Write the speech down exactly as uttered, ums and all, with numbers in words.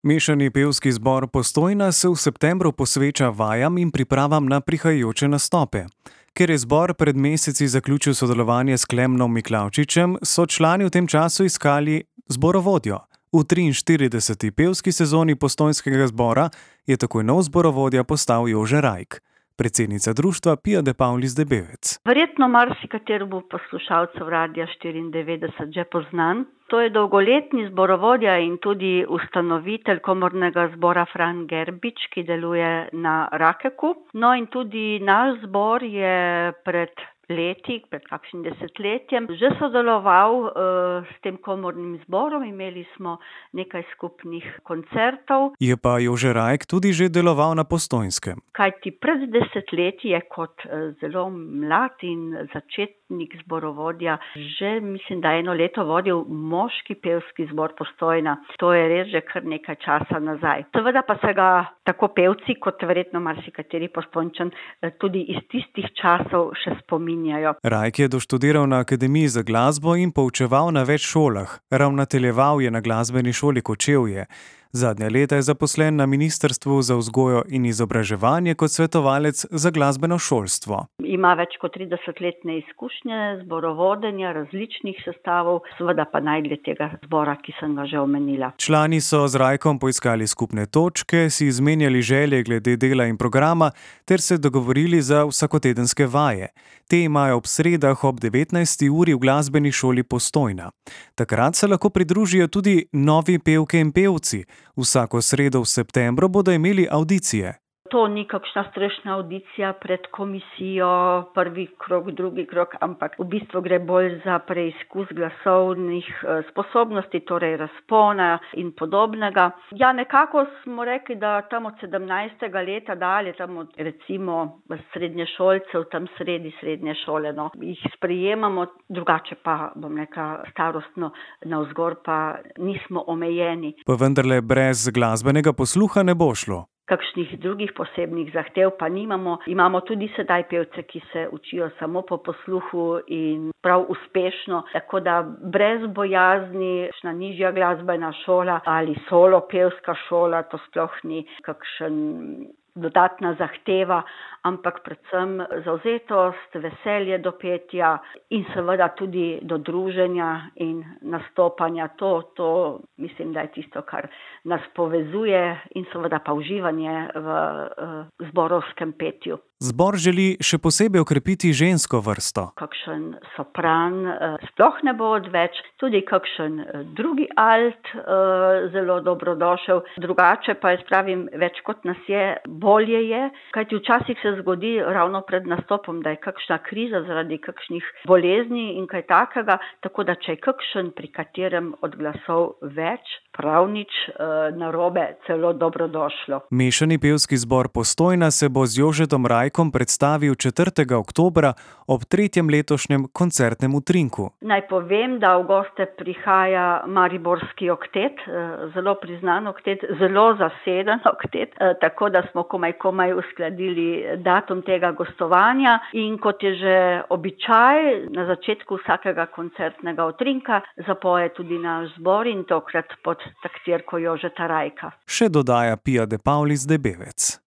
Mešani pevski zbor Postojna se v septembru posveča vajam in pripravam na prihajajoče nastope. Ker je zbor pred meseci zaključil sodelovanje s Klemnom Miklavčičem, so člani v tem času iskali zborovodjo. V triinštirideseti pevski sezoni Postojnskega zbora je takoj nov zborovodja postal Jože Rajk. Predsednica društva Pia de Paulis Debevec. Verjetno marsikateremu poslušalcu Radia štiriindevetdeset že poznan. To je dolgoletni zborovodja in tudi ustanovitelj komornega zbora Fran Gerbič, ki deluje na Rakeku. No in tudi naš zbor je pred leti, pred kakšnim desetletjem, že sodeloval uh, s tem komornim zborom, imeli smo nekaj skupnih koncertov. Je pa Jože Rajk tudi že deloval na Postojnskem. Kajti pred desetletji je kot uh, zelo mlad in začetnik zborovodja že, mislim, da eno leto vodil moški pevski zbor Postojna. To je res že kar nekaj časa nazaj. Seveda pa se ga tako pevci, kot verjetno marsikateri Postojnčan, tudi iz tistih časov še spominjajo. Rajk je doštudiral na Akademiji za glasbo in poučeval na več šolah. Ravnateljeval je na glasbeni šoli Kočevje. Zadnja leta je zaposlen na Ministrstvu za vzgojo in izobraževanje kot svetovalec za glasbeno šolstvo. Ima več kot tridesetletne izkušnje zborovodenja različnih sestavov, seveda pa najdlje tega zbora, ki sem ga že omenila. Člani so z Rajkom poiskali skupne točke, si izmenjali želje glede dela in programa ter se dogovorili za vsakotedenske vaje. Te imajo ob sredah ob devetnajsti uri v glasbeni šoli Postojna. Takrat se lahko pridružijo tudi novi pevke in pevci. Vsako sredo v septembru bodo imeli avdicije. To ni kakšna strešna avdicija pred komisijo, prvi krog, drugi krog, ampak v bistvu gre bolj za preizkus glasovnih sposobnosti, torej razpona in podobnega. Ja, nekako smo rekli, da tam od sedemnajstega leta dalje, tam od recimo srednješolcev, tam sredi srednje šole, no, jih sprejemamo, drugače pa, bom rekla, starostno navzgor pa nismo omejeni. Pa vendarle brez glasbenega posluha ne bo šlo. Kakšnih drugih posebnih zahtev pa nimamo. Imamo tudi sedaj pevce, ki se učijo samo po posluhu in prav uspešno, tako da brez bojazni, kakšna nižja glasbena šola ali solo pevska šola, to sploh ni kakšen dodatna zahteva, ampak predvsem zavzetost, veselje do petja in seveda tudi do druženja in nastopanja. To, to mislim, da je tisto, kar nas povezuje in seveda pa uživanje v uh, zborovskem petju. Zbor želi še posebej okrepiti žensko vrsto. Kakšen sopran uh, sploh ne bo odveč, tudi kakšen uh, drugi alt uh, zelo dobrodošel. Drugače pa jaz pravim, več kot nas je, bolje je, kajti včasih se zgodi ravno pred nastopom, da je kakšna kriza zaradi kakšnih bolezni in kaj takega, tako da če je kakšen, pri katerem od glasov več, prav nič uh, narobe, celo dobrodošlo. Mešani pevski zbor Postojna se bo z Jožetom Rajkom predstavil četrtega oktobra ob tretjem letošnjem koncertnem utrinku. Naj povem, da v goste prihaja Mariborski oktet, zelo priznan oktet, zelo zaseden oktet, tako da smo komaj komaj uskladili datum tega gostovanja in kot je že običaj, na začetku vsakega koncertnega utrinka zapoje tudi naš zbor in tokrat pod taktirko Jožeta Rajka. Še dodaja Pia de Paulis Debevec.